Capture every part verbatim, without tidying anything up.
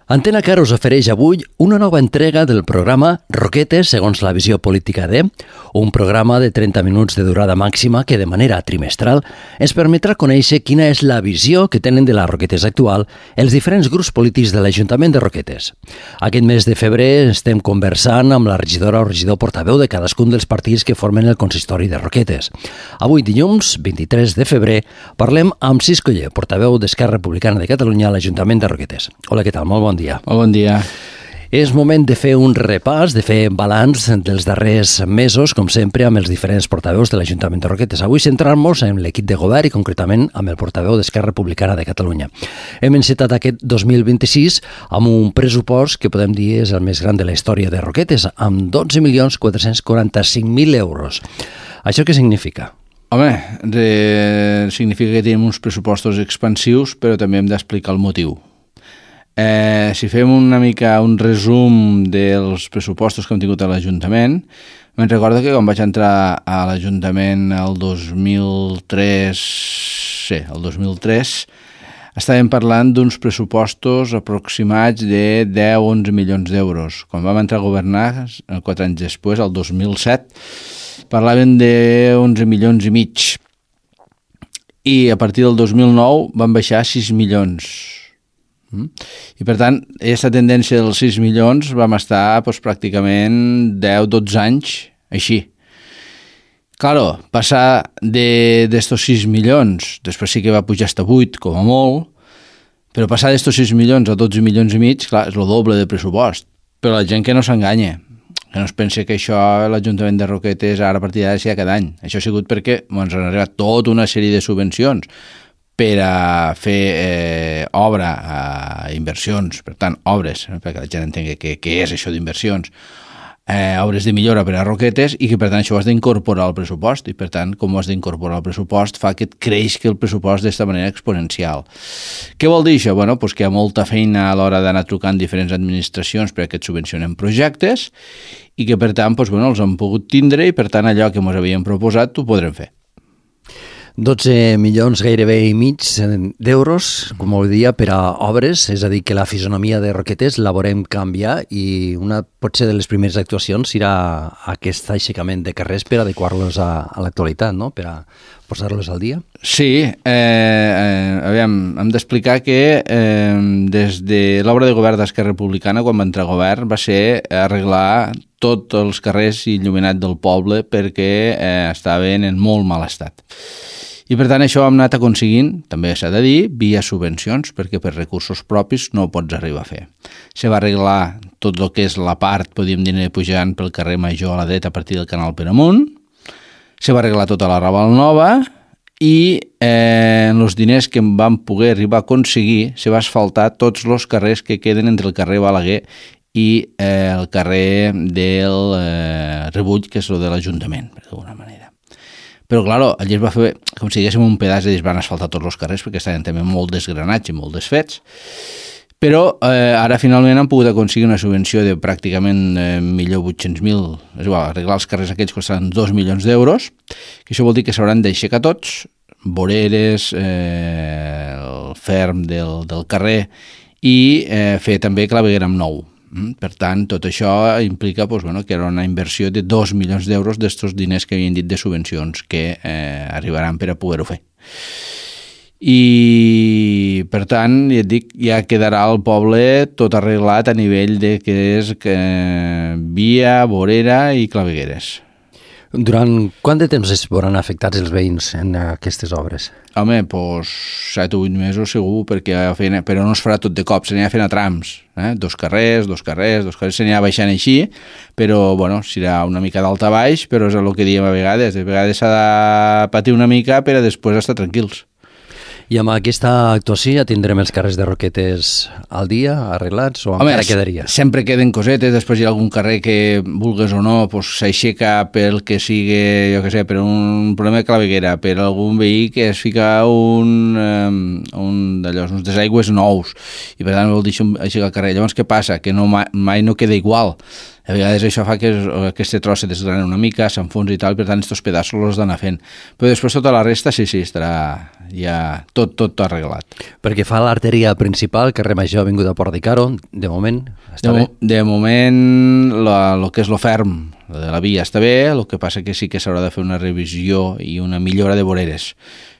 Antena Car us ofereix avui una nova entrega del programa Roquetes segons la visió política de, un programa de trenta minuts de durada màxima que de manera trimestral ens permetrà conèixer quina és la visió que tenen de la Roquetes actual els diferents grups polítics de l'Ajuntament de Roquetes. Aquest mes de febrer estem conversant amb la regidora o regidor portaveu de cadascun dels partits que formen el consistori de Roquetes. Avui, dilluns, vint-i-tres de febrer, parlem amb Cis Coller, portaveu d'Esquerra Republicana de Catalunya a l'Ajuntament de Roquetes. Hola, què tal? Molt bon dia. Molt bon dia. És moment de fer un repàs, de fer balanç dels darrers mesos, com sempre, amb els diferents portaveus de l'Ajuntament de Roquetes. Avui centrar-nos en l'equip de govern i concretament amb el portaveu d'Esquerra Republicana de Catalunya. Hem encetat aquest dos mil vint-i-sis amb un pressupost que podem dir és el més gran de la història de Roquetes, amb dotze milions quatre-cents quaranta-cinc mil euros. Això què significa? Home, de... significa que tenim uns pressupostos expansius, però també hem d'explicar el motiu. Eh, si fem una mica un resum dels pressupostos que hem tingut a l'Ajuntament, me'n recordo que quan vaig entrar a l'Ajuntament el dos mil tres, sí, el dos mil tres, estàvem parlant d'uns pressupostos aproximats de deu a onze milions d'euros. Quan vam entrar a governar, quatre anys després, el dos mil set, parlaven de onze milions i mig. I a partir del dos mil nou van baixar a sis milions. I per tant, aquesta tendència dels sis milions vam estar doncs, pràcticament deu a dotze anys així. Claro, passar d'estos sis milions, després sí que va pujar fins a vuit, com a molt, però passar d'estos sis milions a dotze milions i mig, clar, és el doble de pressupost. Però la gent que no s'enganya, que no es pensi que això l'Ajuntament de Roquetes ara a partir d'ara sigui cada any. Això ha sigut perquè ens han arribat tota una sèrie de subvencions per a fer eh, obra, eh, inversions, per tant, obres, eh, perquè la gent entengui què, què és això d'inversions, eh, obres de millora per a Roquetes i que, per tant, això ho has d'incorporar al pressupost i, per tant, com ho has d'incorporar al pressupost fa que et creixi el pressupost d'esta manera exponencial. Què vol dir això? Bueno, doncs que hi ha molta feina a l'hora d'anar trucant diferents administracions perquè et subvencionen projectes i que, per tant, doncs, bueno, els han pogut tindre i, per tant, allò que ens havíem proposat ho podrem fer. dotze milions gairebé i mig d'euros, com ho dia, per a obres, és a dir, que la fisonomia de Roquetes la veurem canviar i una potser de les primeres actuacions serà aquest aixecament de carrers per adequar-los a, a l'actualitat, no? Per a posar-los al dia. Sí, eh, eh, aviam, hem d'explicar que eh, des de l'obra de govern d'Esquerra Republicana, quan va entrar a govern, va ser arreglar tots els carrers il·luminats del poble perquè eh, estaven en molt mal estat. I per tant això ho hem anat aconseguint, també s'ha de dir, via subvencions, perquè per recursos propis no ho pots arribar a fer. Se va arreglar tot el que és la part, podríem dir, pujant pel carrer Major a la dreta a partir del canal per amunt, se va arreglar tota la Raval Nova i eh, en els diners que vam poder arribar a aconseguir se va asfaltar tots els carrers que queden entre el carrer Balaguer i eh, el carrer del eh, Rebull, que és el de l'Ajuntament, d'alguna manera. Però, clar, allà es va fer com si diguéssim un pedaç i es van asfaltar tots els carrers perquè estaven també molt desgranats i molt desfets. Però eh, ara finalment han pogut aconseguir una subvenció de pràcticament eh, mil vuit-cents mil, és igual, arreglar els carrers aquells costaran dos milions d'euros, que això vol dir que s'hauran d'aixecar tots, voreres, eh, el ferm del, del carrer i eh, fer també claveguera amb nou. Per tant, tot això implica doncs, bueno, que era una inversió de dos milions d'euros d'estos diners que havien dit de subvencions que eh, arribaran per a poder-ho fer. I, per tant, ja et dic, ja quedarà el poble tot arreglat a nivell de que és que, via, vorera i clavegueres. Durant quant de temps es veuran afectats els veïns en aquestes obres? Home, doncs set o vuit mesos segur, perquè feien, però no es farà tot de cop, s'anirà fent a trams, eh? dos carrers, dos carrers, dos carrers, s'anirà baixant així, però bueno, serà una mica d'alta a baix, però és el que diem a vegades, de vegades s'ha de patir una mica per a després estar tranquils. I amb aquesta actuació ja tindrem els carrers de Roquetes al dia, arreglats, o Home, encara quedaria? Sempre queden cosetes, després hi ha algun carrer que, vulgues o no, pues, s'aixeca pel que sigui, jo què sé, per un problema de claveguera, per algun veí que es fica un, um, un d'allò, uns desaigües nous, i per tant vol dir aixecar el carrer. Llavors què passa? Que no, mai no queda igual. A vegades això fa que aquest tros se desgrana una mica, s'enfonsi i tal, per tant, aquests pedaços els d'anar fent. Però després tota la resta, sí, sí, estarà ja tot, tot arreglat. Perquè fa l'artèria principal, carrer Major, Avinguda Port de Caro, de moment, està de, bé? De moment, el que és lo ferm, de la via està bé, el que passa que sí que s'haurà de fer una revisió i una millora de voreres.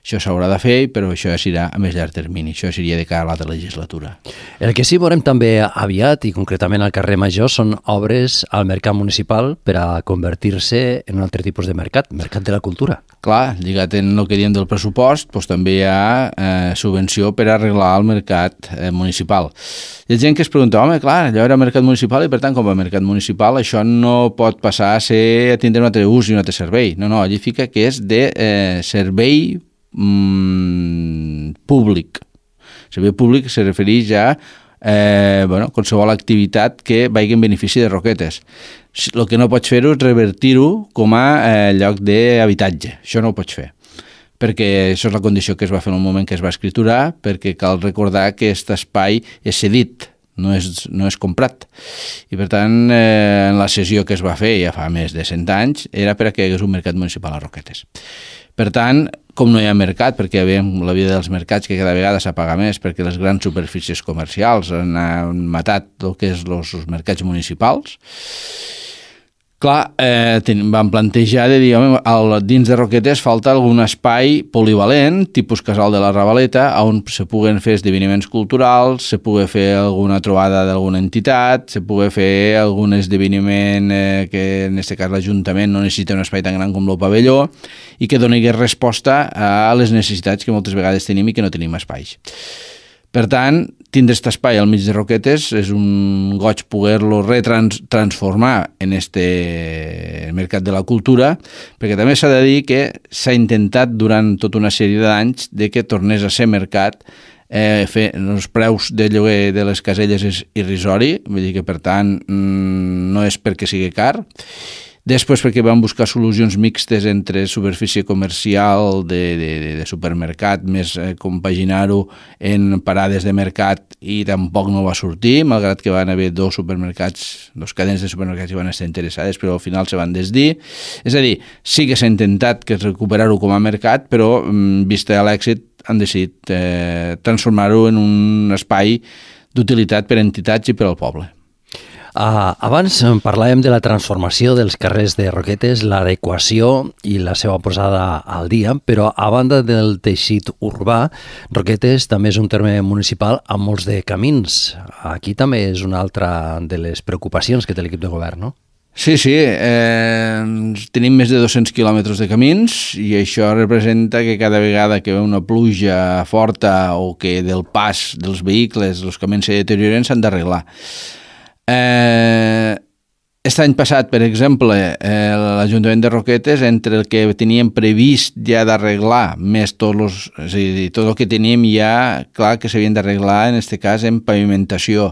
Això s'haurà de fer, però això ja serà a més llarg termini. Això seria de cara a l'altra legislatura. El que sí veurem també aviat, i concretament al carrer Major, són obres al mercat municipal per a convertir-se en un altre tipus de mercat, mercat de la cultura. Clar, lligat en el que diem del pressupost, doncs també hi ha eh, subvenció per arreglar el mercat eh, municipal. Hi ha gent que es pregunta, home, clar, allò era mercat municipal i per tant, com a mercat municipal, això no pot passar a ser a tindre un altre ús i un altre servei. No, no, allí fica que és de eh, servei Mm, públic. Servei públic se refereix a eh, bueno, qualsevol activitat que vagi en benefici de Roquetes. El que no pots fer-ho és revertir-ho com a eh, lloc d'habitatge. Això no ho pots fer, perquè això és la condició que es va fer en el moment que es va escriturar, perquè cal recordar que aquest espai és cedit, no és, no és comprat. I per tant, eh, en la cessió que es va fer ja fa més de cent anys, era per a que hi hagués un mercat municipal a Roquetes. Per tant, com no hi ha mercat, perquè veiem la vida dels mercats que cada vegada s'apaga més perquè les grans superfícies comercials han, han matat el que és els, els mercats municipals, clar, eh, ten, vam plantejar de dir, home, al, dins de Roquetes falta algun espai polivalent, tipus Casal de la Ravaleta, on se puguen fer esdeveniments culturals, se pugui fer alguna trobada d'alguna entitat, se pugui fer algun esdeveniment eh, que en aquest cas l'Ajuntament no necessita un espai tan gran com el pavelló i que doni resposta a les necessitats que moltes vegades tenim i que no tenim espais. Per tant, tindre aquest espai al mig de Roquetes és un goig poder-lo retransformar en este mercat de la cultura, perquè també s'ha de dir que s'ha intentat durant tota una sèrie d'anys de que tornés a ser mercat, eh, fer els preus de lloguer de les caselles és irrisori, vull dir que per tant no és perquè sigui car. Després perquè vam buscar solucions mixtes entre superfície comercial de, de, de supermercat més eh, compaginar-ho en parades de mercat i tampoc no va sortir, malgrat que van haver dos supermercats, dos cadenes de supermercats que van estar interessades, però al final se van desdir. És a dir, sí que s'ha intentat que recuperar-ho com a mercat, però vista a l'èxit han decidit eh, transformar-ho en un espai d'utilitat per a entitats i per al poble. Uh, abans parlàvem de la transformació dels carrers de Roquetes, l'adequació i la seva posada al dia, però a banda del teixit urbà, Roquetes també és un terme municipal amb molts de camins. Aquí també és una altra de les preocupacions que té l'equip de govern, no? Sí, sí, eh, tenim més de dos-cents quilòmetres de camins i això representa que cada vegada que ve una pluja forta o que del pas dels vehicles els camins se deterioren s'han d'arreglar. Eh, Aquest any passat, per exemple, eh, l'Ajuntament de Roquetes, entre el que teníem previst ja d'arreglar, més tots los, és a dir, tot el que teníem ja, clar que s'havien d'arreglar, en aquest cas, en pavimentació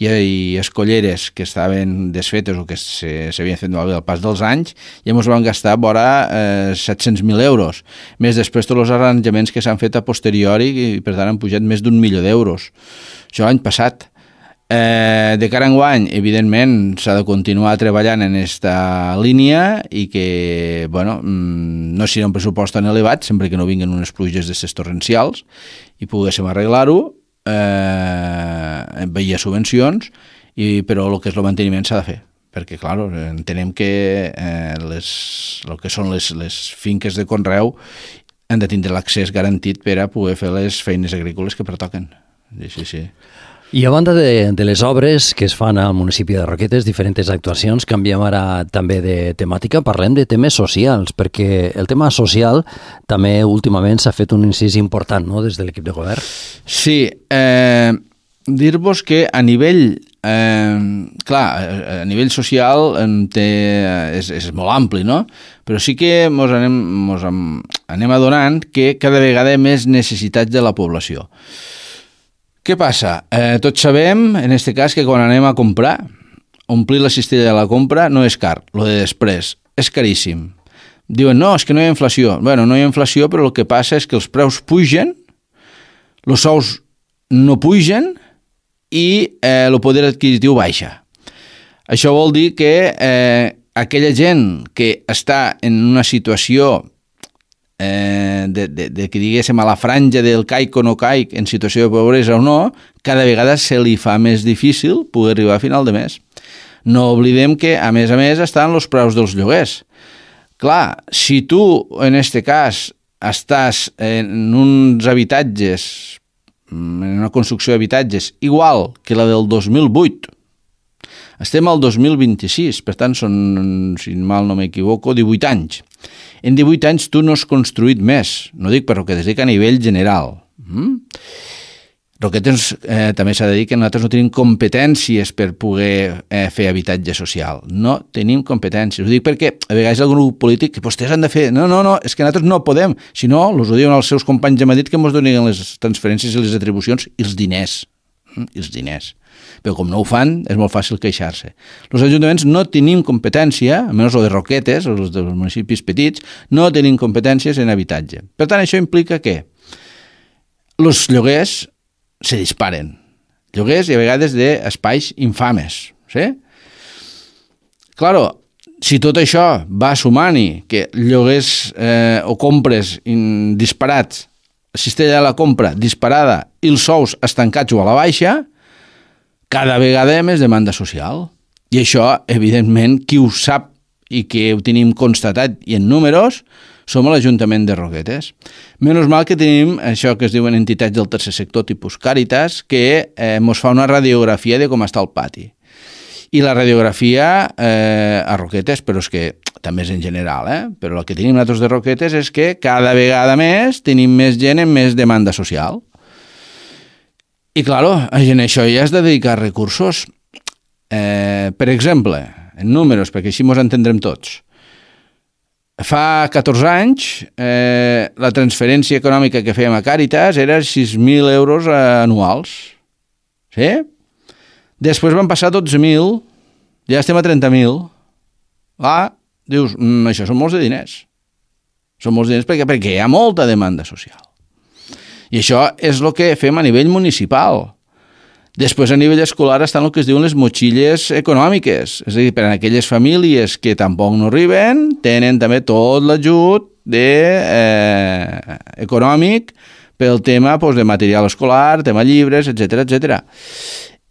i, i escolleres que estaven desfetes o que s'havien fet malbé al pas dels anys, ja ens van gastar vora eh, set-cents mil euros. Més després tots els arranjaments que s'han fet a posteriori i, per tant, han pujat més d'un milió d'euros. Això l'any passat. Eh, de cara a enguany, evidentment, s'ha de continuar treballant en aquesta línia i que, bueno, no serà un pressupost tan elevat, sempre que no vinguin unes pluges d'aquestes torrencials i poguéssim arreglar-ho, eh, via subvencions, i, però el que és el manteniment s'ha de fer, perquè, clar, entenem que eh, les, el que són les, les finques de conreu han de tindre l'accés garantit per a poder fer les feines agrícoles que pertoquen. Sí, sí, sí. I a banda de, de les obres que es fan al municipi de Roquetes, diferents actuacions, canviem ara també de temàtica, parlem de temes socials, perquè el tema social també últimament s'ha fet un incís important, no?, des de l'equip de govern. Sí, eh, dir-vos que a nivell, eh, clar, a nivell social té, és, és molt ampli, no?, però sí que mos anem, mos anem adonant que cada vegada hi ha més necessitats de la població. Què passa? Eh, tots sabem, en aquest cas, que quan anem a comprar, omplir la cistella de la compra no és car, lo de després, és caríssim. Diuen, no, és que no hi ha inflació. Bueno, no hi ha inflació, però el que passa és que els preus pugen, els sous no pugen i eh, el poder adquisitiu baixa. Això vol dir que eh, aquella gent que està en una situació eh, de, de, de que diguéssim a la franja del caic o no caic, en situació de pobresa o no, cada vegada se li fa més difícil poder arribar a final de mes. No oblidem que, a més a més, estan els preus dels lloguers. Clar, si tu, en este cas, estàs en uns habitatges, en una construcció d'habitatges igual que la del dos mil vuit, estem al dos mil vint-i-sis, per tant són, si mal no m'equivoco, divuit anys. En divuit anys tu no has construït més, no dic per Roquetes, dic a nivell general. Mm? Roquetes eh, també s'ha de dir que nosaltres no tenim competències per poder eh, fer habitatge social. No tenim competències. Ho dic perquè a vegades el grup polític que vostès han de fer... No, no, no, és que nosaltres no podem. Si no, els ho diuen els seus companys de Madrid que ens donin les transferències i les atribucions i els diners. Mm? I els diners. Però com no ho fan, és molt fàcil queixar-se. Els ajuntaments no tenim competència, almenys el de Roquetes, els dels municipis petits, no tenim competències en habitatge. Per tant, això implica que els lloguers se disparen. Lloguers i a vegades d'espais infames. Sí? Claro, si tot això va sumant-hi que lloguers eh, o compres in, disparats, la cistella de la compra disparada i els sous estancats o a la baixa, cada vegada hi ha més demanda social. I això, evidentment, qui ho sap i que ho tenim constatat i en números, som a l'Ajuntament de Roquetes. Menys mal que tenim això que es diuen entitats del tercer sector tipus Càritas, que eh, mos fa una radiografia de com està el pati. I la radiografia eh, a Roquetes, però és que també és en general, eh? Però el que tenim nosaltres de Roquetes és que cada vegada més tenim més gent amb més demanda social. I, claro, en això ja has de dedicar recursos. Eh, per exemple, en números, perquè així mos entendrem tots. Fa catorze anys, eh, la transferència econòmica que fèiem a Càritas era sis mil euros anuals. Sí? Després van passar dotze mil, ja estem a trenta mil. Ah, dius, mm, això són molts de diners. Són molts diners perquè, perquè hi ha molta demanda social. I això és el que fem a nivell municipal. Després, a nivell escolar, estan el que es diuen les motxilles econòmiques. És a dir, per a aquelles famílies que tampoc no arriben, tenen també tot l'ajut de, eh, econòmic pel tema pues, de material escolar, tema llibres, etcètera, etcètera.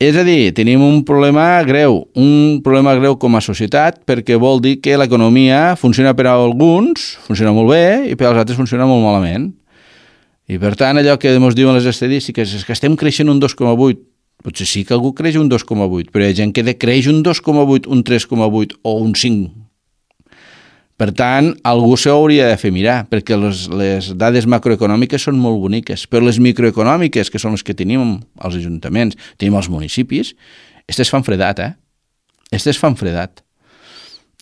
És a dir, tenim un problema greu, un problema greu com a societat, perquè vol dir que l'economia funciona per a alguns, funciona molt bé, i per als altres funciona molt malament. I per tant, allò que ens diuen les estadístiques és que estem creixent un dos coma vuit. Potser sí que algú creix un dos coma vuit, però hi ha gent que creix un dos coma vuit, un tres coma vuit o un cinc. Per tant, algú s'ho hauria de fer mirar, perquè les, les dades macroeconòmiques són molt boniques, però les microeconòmiques, que són les que tenim als ajuntaments, tenim als municipis, aquestes fan fredat, eh? Aquestes fan fredat.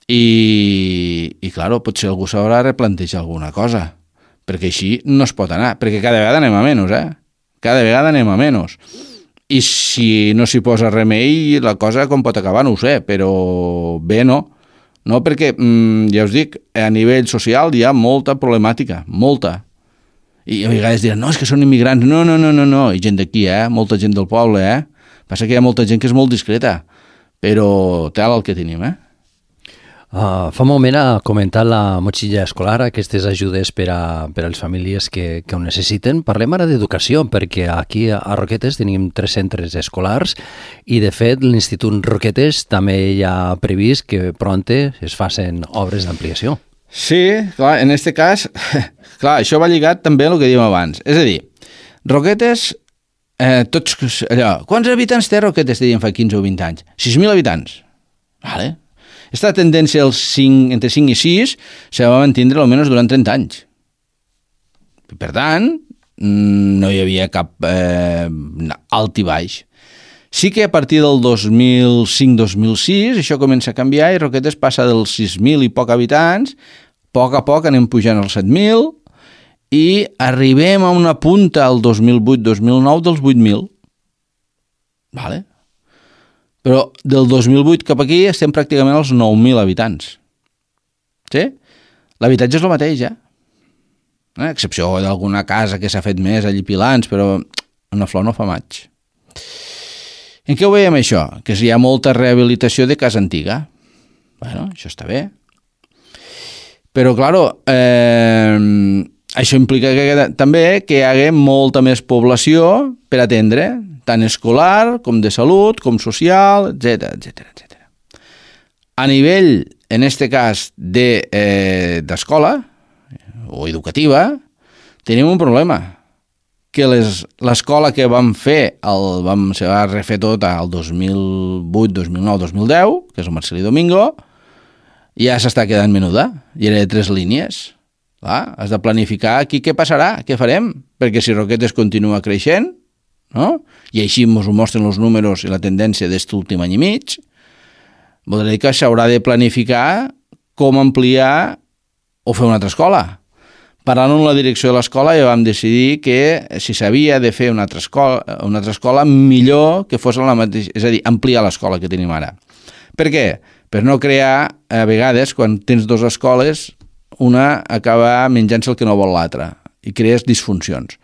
I, i clar, potser algú s'haurà de replantejar alguna cosa, perquè així no es pot anar, perquè cada vegada anem a menys, eh? Cada vegada anem a menys. I si no s'hi posa remei, la cosa com pot acabar no ho sé, però bé no. No, perquè, mmm, ja us dic, a nivell social hi ha molta problemàtica, molta. I a vegades diran, no, és que són immigrants. No, no, no, no, no. I gent d'aquí, eh? Molta gent del poble, eh? Passa que hi ha molta gent que és molt discreta, però tal el que tenim, eh? Uh, fa un moment ha comentat la motxilla escolar, aquestes ajudes per a, per a les famílies que, que ho necessiten. Parlem ara d'educació, perquè aquí a Roquetes tenim tres centres escolars i, de fet, l'Institut Roquetes també hi ha previst que pronte es facin obres d'ampliació. Sí, clar, en aquest cas, clar, això va lligat també a el que dèiem abans. És a dir, Roquetes, eh, tots, allò, quants habitants té Roquetes, deien fa quinze o vint anys? sis mil habitants. Vale. Aquesta tendència als cinc, entre cinc i sis se va mantindre almenys durant trenta anys. Per tant, no hi havia cap eh, alt i baix. Sí que a partir del dos mil cinc dos mil sis això comença a canviar i Roquetes passa dels sis mil i poc habitants, a poc a poc anem pujant als set mil i arribem a una punta al dos mil vuit dos mil nou dels vuit mil. Vale? Però del dos mil vuit cap aquí estem pràcticament als nou mil habitants. Sí? L'habitatge és el mateix, ja. Eh? A excepció d'alguna casa que s'ha fet més allí pilants, però una flor no fa maig. En què ho veiem això? Que hi ha molta rehabilitació de casa antiga. Bueno, això està bé. Però, claro, eh, això implica que, també que hi hagi molta més població per atendre, tant escolar com de salut, com social, etcètera, etcètera, etcètera. A nivell, en este cas, de, eh, d'escola o educativa, tenim un problema, que les, l'escola que vam fer, el, vam, se va refer tot al dos mil vuit, dos mil nou, dos mil deu, que és el Marcelí Domingo, ja s'està quedant menuda, i era de tres línies. Clar, has de planificar aquí què passarà, què farem, perquè si Roquetes continua creixent, no? I així ens ho mostren els números i la tendència d'aquest últim any i mig, vol dir que s'haurà de planificar com ampliar o fer una altra escola. Parlant amb la direcció de l'escola ja vam decidir que si s'havia de fer una altra escola, una altra escola millor que fos la mateixa, és a dir, ampliar l'escola que tenim ara. Per què? Per no crear, a vegades, quan tens dues escoles, una acaba menjant-se el que no vol l'altra i crees disfuncions.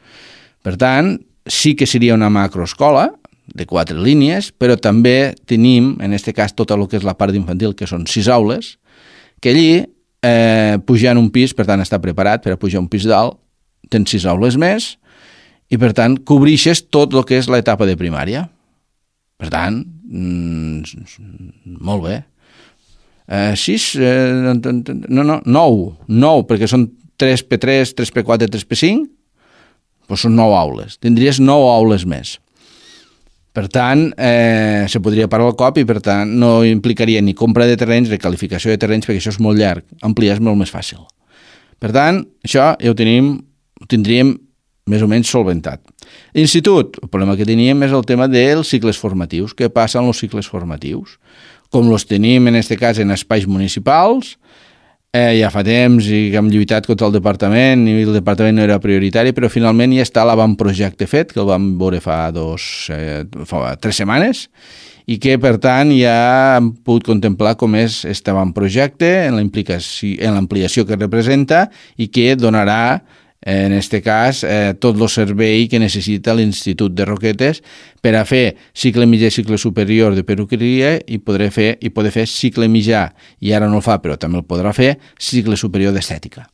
Per tant, sí que seria una macroescola de quatre línies, però també tenim, en aquest cas, tot el que és la part infantil, que són sis aules, que allí Eh, pujar en un pis, per tant està preparat per a pujar un pis dalt, tens sis aules més i per tant cobrixes tot el que és l'etapa de primària. Per tant, mm, molt bé. Eh, sis, eh, no, no, nou, nou, perquè són tres pe tres, tres pe quatre, tres pe cinc, doncs són nou aules. Tindries nou aules més. Per tant, eh, se podria parar el cop i, per tant, no implicaria ni compra de terrenys, recalificació de terrenys, perquè això és molt llarg. Ampliar és molt més fàcil. Per tant, això ja ho tenim, ho tindríem més o menys solventat. Institut, el problema que teníem és el tema dels cicles formatius. Què passa amb els cicles formatius? Com els tenim, en aquest cas, en espais municipals, eh, ja fa temps i que hem lluitat contra el departament i el departament no era prioritari, però finalment ja està l'avantprojecte fet, que el vam veure fa, dos, eh, fa tres setmanes, i que, per tant, ja hem pogut contemplar com és aquest avantprojecte en l'ampliació que representa i que donarà, en aquest cas, eh, tot el servei que necessita l'Institut de Roquetes per a fer cicle mitjà i cicle superior de perruqueria i poder fer, i poder fer cicle mitjà, i ara no el fa, però també el podrà fer, cicle superior d'estètica.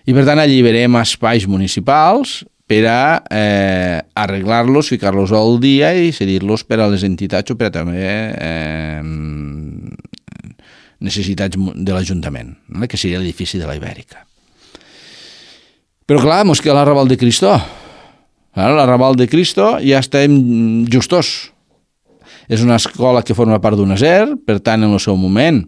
I per tant alliberem espais municipals per a eh, arreglar-los, ficar-los al dia i cedir-los per a les entitats o per a també eh, necessitats de l'Ajuntament, que seria l'edifici de la Ibèrica. Però clar, mos queda l'Arrabal de Cristo. L'Arrabal de Cristo ja estem justos. És una escola que forma part d'un A S E R, per tant, en el seu moment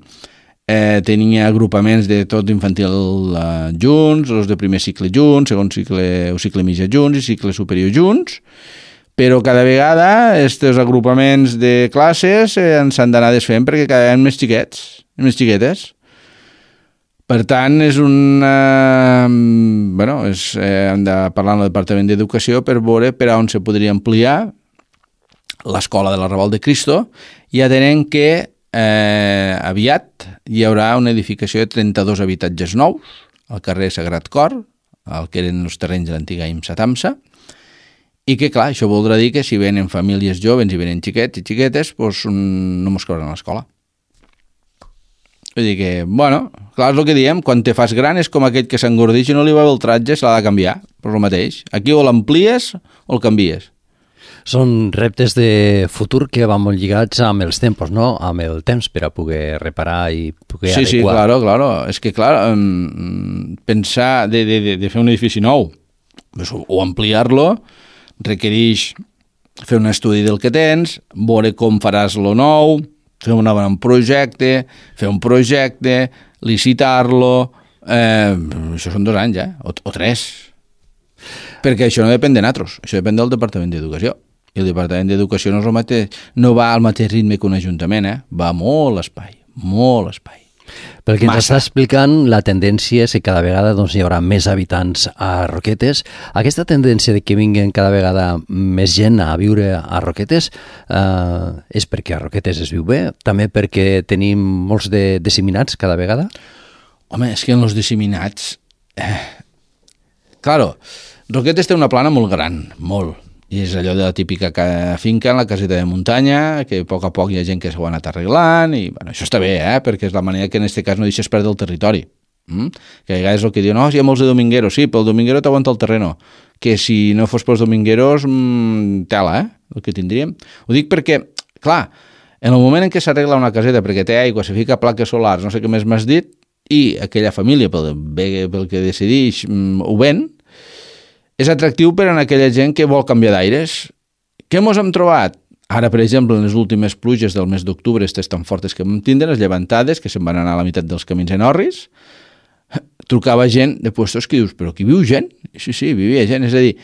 eh, tenia agrupaments de tot infantil eh, junts, els de primer cicle junts, segon cicle o cicle mitjà junts i cicle superior junts, però cada vegada aquests agrupaments de classes eh, ens han d'anar desfent perquè cada vegada més xiquets, més xiquetes. Per tant, és una... Bueno, és, eh, hem de parlar amb el Departament d'Educació per veure per a on se podria ampliar l'escola de l'Arrabal de Cristo, i atenent que eh, aviat hi haurà una edificació de trenta-dos habitatges nous al carrer Sagrat Cor, el que eren els terrenys de l'antiga IMSA Tamsa, i que, clar, això voldrà dir que si venen famílies joves i venen xiquets i xiquetes, doncs no mos cauran a l'escola. Vull dir que, bueno, clar, és el que diem, quan te fas gran és com aquell que s'engordeix i no li va bé el tratge, se l'ha de canviar, per el mateix. Aquí o l'amplies o el canvies. Són reptes de futur que van molt lligats amb els tempos, no? Amb el temps per a poder reparar i poder sí, adequar. Sí, claro, claro. És que, clar, pensar de, de, de fer un edifici nou o ampliar-lo requereix fer un estudi del que tens, veure com faràs lo nou, fer un bon projecte, fer un projecte, licitar-lo, eh, això són dos anys, eh? o, o tres. Perquè això no depèn de nosaltres, això depèn del Departament d'Educació. I el Departament d'Educació no, mateix, no va al mateix ritme que un ajuntament, eh? Va molt espai, molt espai. Pel que ens està explicant, la tendència és que cada vegada doncs, hi haurà més habitants a Roquetes. Aquesta tendència de que vinguen cada vegada més gent a viure a Roquetes eh, és perquè a Roquetes es viu bé, també perquè tenim molts de disseminats cada vegada? Home, és que en els disseminats... Eh, claro, Roquetes té una plana molt gran, molt, I és allò de la típica finca en la caseta de muntanya, que a poc a poc hi ha gent que s'ho ha anat arreglant, i bueno, això està bé, eh? Perquè és la manera que en aquest cas no deixes perdre el territori. Mm? Que a vegades el que diuen, no, hi ha molts de domingueros, sí, però el dominguero t'aguanta el terreno, que si no fos pels domingueros, mmm, tela, eh? El que tindríem. Ho dic perquè, clar, en el moment en què s'arregla una caseta perquè té aigua, se fica plaques solars, no sé què més m'has dit, i aquella família, pel, pel que decideix, mm, ho ven, és atractiu per a aquella gent que vol canviar d'aires. Què mos hem trobat? Ara, per exemple, en les últimes pluges del mes d'octubre, aquestes tan fortes que vam tindre, les llevantades, que se'n van anar a la meitat dels camins en orris, trucava gent de puestos que dius, però aquí viu gent? Sí, sí, vivia gent. És a dir,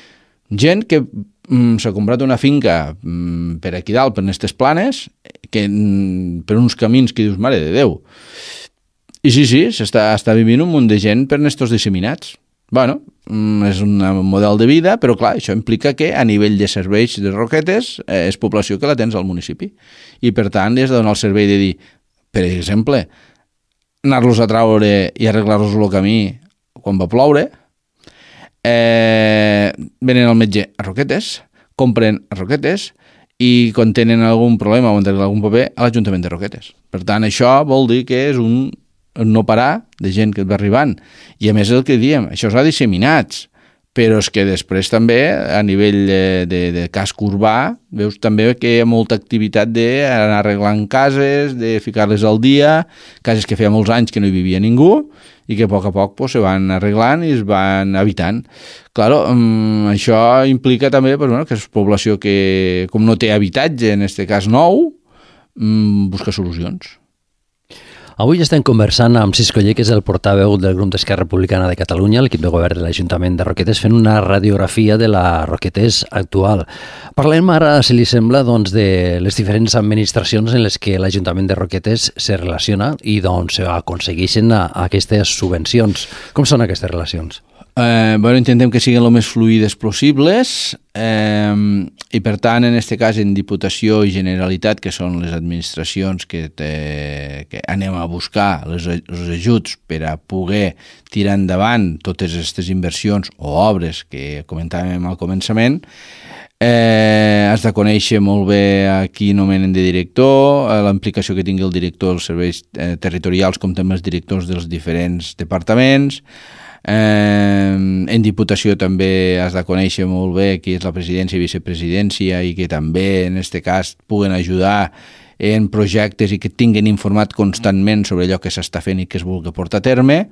gent que mm, s'ha comprat una finca mm, per aquí dalt, per aquestes planes, que, mm, per uns camins que dius, mare de Déu. I sí, sí, s'està està vivint un munt de gent per estos disseminats. Bueno, és un model de vida, però clar, això implica que a nivell de serveis de Roquetes eh, és població que la tens al municipi. I per tant, has de donar el servei de dir, per exemple, anar-los a traure i arreglar-los el camí quan va ploure, eh, venen al metge a Roquetes, compren a Roquetes i quan tenen algun problema o han d'arreglar algun paper a l'Ajuntament de Roquetes. Per tant, això vol dir que és un no parar de gent que et va arribant. I a més el que diem, això s'ha disseminats, però és que després també a nivell de, de, de casc urbà veus també que hi ha molta activitat d'anar arreglant cases, de ficar-les al dia, cases que feia molts anys que no hi vivia ningú i que a poc a poc pues, se van arreglant i es van habitant. Claro, um, això implica també pues, bueno, que és població que com no té habitatge, en aquest cas nou, um, busca solucions. Avui estem conversant amb Cisco Ller, que és el portaveu del grup d'Esquerra Republicana de Catalunya, l'equip de govern de l'Ajuntament de Roquetes, fent una radiografia de la Roquetes actual. Parlem ara, si li sembla, doncs, de les diferents administracions en les que l'Ajuntament de Roquetes se relaciona i doncs, aconsegueixen aquestes subvencions. Com són aquestes relacions? Eh, bueno, intentem que siguin el més fluides possibles eh, i per tant en aquest cas en Diputació i Generalitat, que són les administracions que, te, que anem a buscar les, els ajuts per a poder tirar endavant totes aquestes inversions o obres que comentàvem al començament, Eh, has de conèixer molt bé a qui nomenen de director, la implicació que tingui el director dels serveis eh, territorials com també els directors dels diferents departaments. Eh, en Diputació també has de conèixer molt bé qui és la presidència i vicepresidència i que també en aquest cas puguen ajudar en projectes i que tinguin informat constantment sobre allò que s'està fent i que es vulgui portar a terme,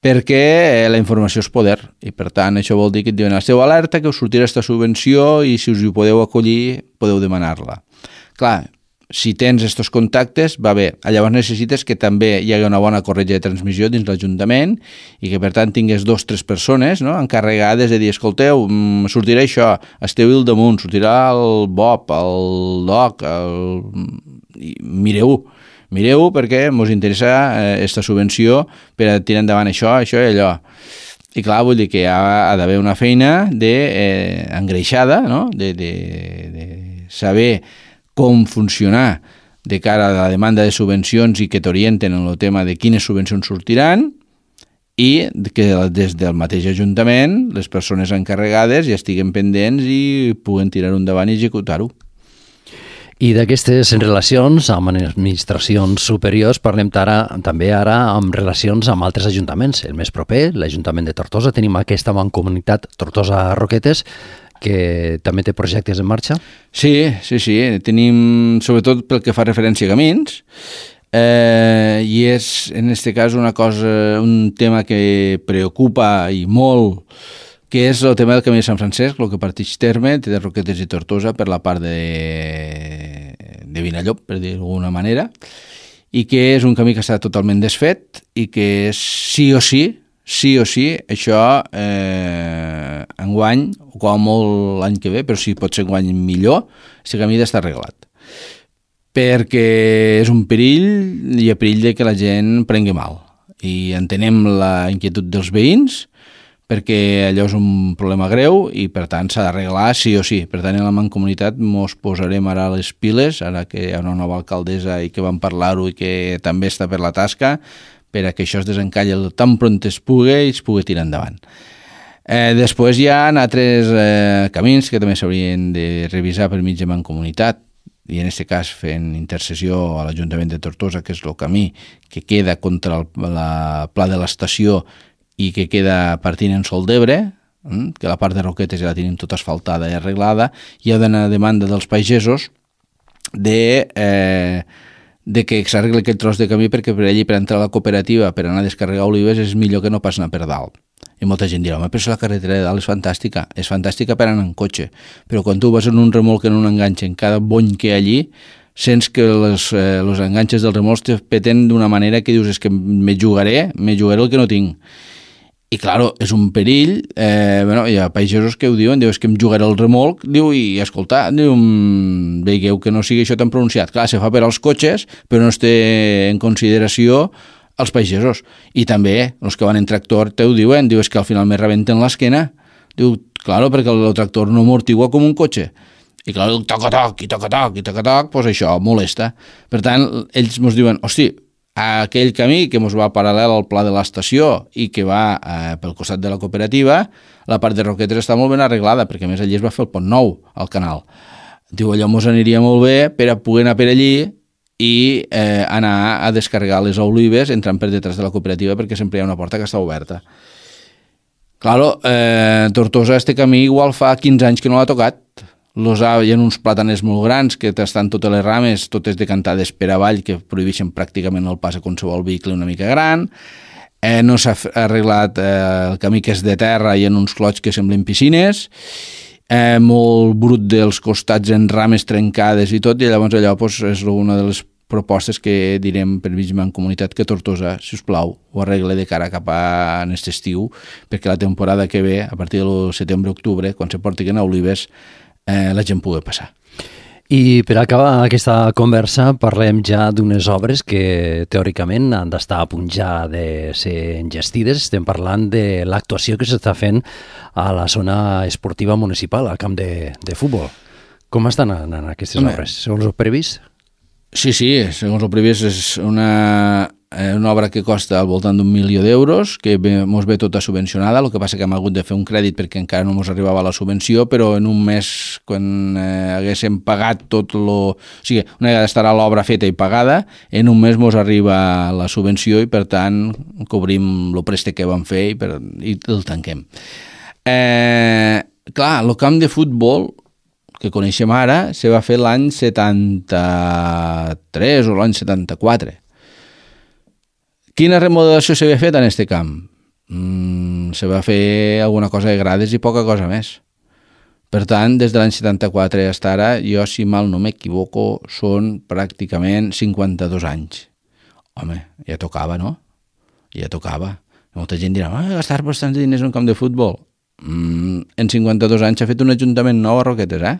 perquè la informació és poder i per tant això vol dir que et diuen esteu alerta que us sortirà aquesta subvenció i si us hi podeu acollir podeu demanar-la. Clar, si tens aquests contactes va bé, llavors necessites que també hi hagi una bona corretja de transmissió dins l'Ajuntament i que per tant tingues dos o tres persones no, encarregades de dir escolteu, sortirà això, esteu al damunt, sortirà el Bob, el Doc, el... mireu Mireu perquè ens interessa aquesta eh, subvenció per a tirar endavant això, això i allò. I clar, vull dir que ha, ha d'haver una feina de, eh, engreixada, no? de, de, de saber com funcionar de cara a la demanda de subvencions i que t'orienten en el tema de quines subvencions sortiran i que des del mateix Ajuntament les persones encarregades ja estiguen pendents i puguen tirar-ho endavant i executar-ho. I d'aquestes relacions amb administracions superiors parlem ara, també ara amb relacions amb altres ajuntaments. El més proper, l'Ajuntament de Tortosa, tenim aquesta mancomunitat Tortosa-Roquetes, que també té projectes en marxa? Sí, sí, sí. Tenim, sobretot pel que fa referència a camins, eh, i és, en aquest cas, una cosa, un tema que preocupa i molt, que és el tema del camí de Sant Francesc, el que parteix terme de Roquetes i Tortosa per la part de, de Vinallop, per dir d'alguna manera, i que és un camí que està totalment desfet i que és sí o sí, sí o sí, això eh, enguany, o com molt l'any que ve, però si pot ser enguany millor, aquest camí ha d'estar arreglat. Perquè és un perill, hi ha perill de que la gent prengui mal. I entenem la inquietud dels veïns, perquè allò és un problema greu i per tant s'ha d'arreglar sí o sí. Per tant, en la mancomunitat mos posarem ara les piles, ara que hi ha una nova alcaldessa i que vam parlar-ho i que també està per la tasca, per a que això es desencalli tan pront es pugui i es pugui tirar endavant. Eh, després hi ha altres eh, camins que també s'haurien de revisar per mig de mancomunitat, i en aquest cas fent intercessió a l'Ajuntament de Tortosa, que és el camí que queda contra el la pla de l'estació i que queda partint en Sol d'Ebre, que la part de Roquetes ja la tenim tota asfaltada i arreglada. Hi ha una demanda dels pagesos de, eh, de que s'arregli aquell tros de camí, perquè per allí, per entrar a la cooperativa, per anar a descarregar olives, és millor que no pas anar per dalt. I molta gent dirà, home, però la carretera de dalt és fantàstica, és fantàstica per anar en cotxe, però quan tu vas en un remolc, en un enganxe, en cada bony que hi ha allí, sents que els eh, los enganxes dels remolcs te peten d'una manera que dius, és que me jugaré, me jugaré el que no tinc. I, claro, és un perill. Eh, bueno, hi ha pagesos que ho diuen, diu, és que em jugaré el remolc, diu, i escolta, diu, veieu que no sigui això tan pronunciat. Clar, se fa per als cotxes, però no es té en consideració els pagesos. I també, els que van en tractor, te ho diuen, diu, és que al final me rebenten l'esquena. Diu, claro, perquè el tractor no amortigua com un cotxe. I clar, el toc-a-toc, i toc-a-toc, i toc-a-toc, doncs això molesta. Per tant, ells ens diuen, hosti, aquell camí que ens va paral·lel al pla de l'estació i que va eh, pel costat de la cooperativa, la part de Roquetes està molt ben arreglada, perquè a més allí es va fer el pont nou al canal. Diu, allò ens aniria molt bé per a poder anar per allí i eh, anar a descarregar les olives entrant per detrás de la cooperativa, perquè sempre hi ha una porta que està oberta. Claro, eh, Tortosa, este camí igual fa quinze anys que no l'ha tocat. Los ha, hi ha uns plàtanes molt grans que estan totes les rames, totes decantades per avall, que prohibeixen pràcticament el pas a qualsevol vehicle una mica gran. Eh, no s'ha arreglat eh, el camí que és de terra i en uns clots que semblen piscines. Eh, molt brut dels costats en rames trencades i tot, i llavors allò pues, és una de les propostes que direm per mig mancomunitat que Tortosa, si us plau, ho arregle de cara cap a aquest estiu, perquè la temporada que ve, a partir del setembre-octubre, quan se portin a olives, eh, la gent pugui passar. I per acabar aquesta conversa parlem ja d'unes obres que teòricament han d'estar a punt ja de ser engestides. Estem parlant de l'actuació que s'està fent a la zona esportiva municipal, al camp de, de futbol. Com estan anant aquestes Home. obres, segons el previst? Sí, sí, segons el previst és una, una obra que costa al voltant d'un milió d'euros, que ens ve tota subvencionada, el que passa que hem hagut de fer un crèdit perquè encara no ens arribava la subvenció, però en un mes, quan eh, haguéssim pagat tot lo... O sigui, una vegada estarà l'obra feta i pagada, en un mes ens arriba la subvenció i, per tant, cobrim el préstec que vam fer i, per, i el tanquem. Eh, clar, el camp de futbol que coneixem ara se va fer l'any setanta-tres o l'any setanta-quatre. Quina remodelació s'havia fet en aquest camp? Mm, se va fer alguna cosa de grades i poca cosa més. Per tant, des de l'any setanta-quatre fins ara, jo, si mal no m'equivoco, són pràcticament cinquanta-dos anys. Home, ja tocava, no? Ja tocava. Molta gent dirà, ah, gastar bastants diners en un camp de futbol. Mm, en cinquanta-dos anys s'ha fet un ajuntament nou a Roquetes, eh?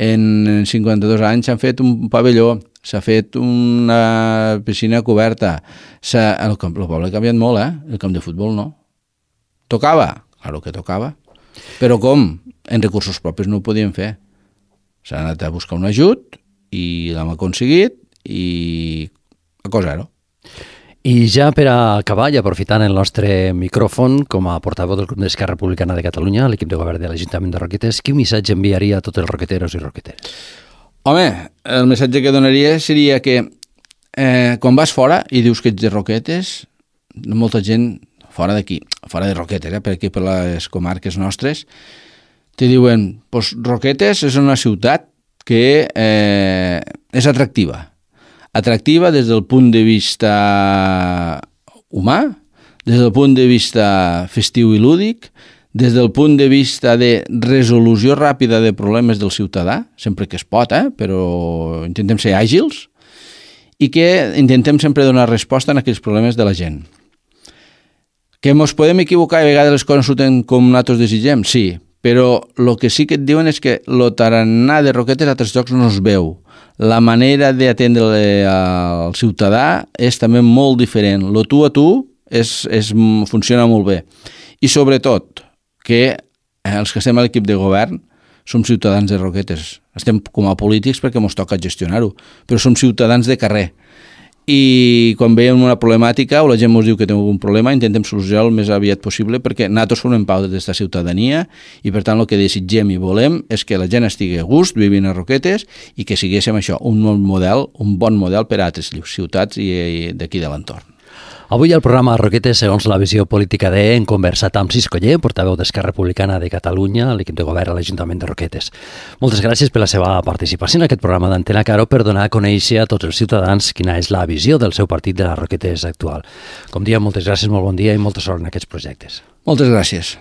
En cinquanta-dos anys s'han fet un pavelló, s'ha fet una piscina coberta, el, camp, el poble ha canviat molt, eh? El camp de futbol no. Tocava? Claro que tocava. Però com? En recursos propis no ho podien fer. S'ha anat a buscar un ajut i l'hem aconseguit i a cosa-ho. I ja per a acabar, i aprofitant el nostre micròfon com a portaveu del Grup d'Esquerra Republicana de Catalunya, l'equip de govern de l'Ajuntament de Roquetes, quin missatge enviaria a tots els roqueteros i roqueteres? Home, el missatge que donaria seria que eh, quan vas fora i dius que ets de Roquetes, molta gent fora d'aquí, fora de Roquetes, eh, per aquí per les comarques nostres, te diuen, pues Roquetes és una ciutat que eh, és atractiva. Atractiva des del punt de vista humà, des del punt de vista festiu i lúdic, des del punt de vista de resolució ràpida de problemes del ciutadà, sempre que es pot, eh? Però intentem ser àgils, i que intentem sempre donar resposta a aquells problemes de la gent. Que ens podem equivocar i a vegades les coses surten com nosaltres desitgem? Sí, però el que sí que et diuen és que el tarannà de Roquetes a altres llocs no es veu. La manera d'atendre al ciutadà és també molt diferent. Lo tu a tu és, és, funciona molt bé. I sobretot que els que estem a l'equip de govern som ciutadans de Roquetes. Estem com a polítics perquè ens toca gestionar-ho, però som ciutadans de carrer. i quan veiem una problemàtica o la gent ens diu que té algun problema, intentem solucionar el més aviat possible, perquè nosaltres formem part d'aquesta ciutadania i per tant el que desitgem i volem és que la gent estigui a gust vivint a Roquetes i que siguéssim això, un bon model, un bon model per a altres ciutats i, i d'aquí de l'entorn. Avui al programa Roquetes, segons la visió política de, hem conversat amb Cis Coller, portaveu d'Esquerra Republicana de Catalunya, l'equip de govern a l'Ajuntament de Roquetes. Moltes gràcies per la seva participació en aquest programa d'Antena Caro per donar a conèixer a tots els ciutadans quina és la visió del seu partit de les Roquetes actual. Com diem, moltes gràcies, molt bon dia i molta sort en aquests projectes. Moltes gràcies.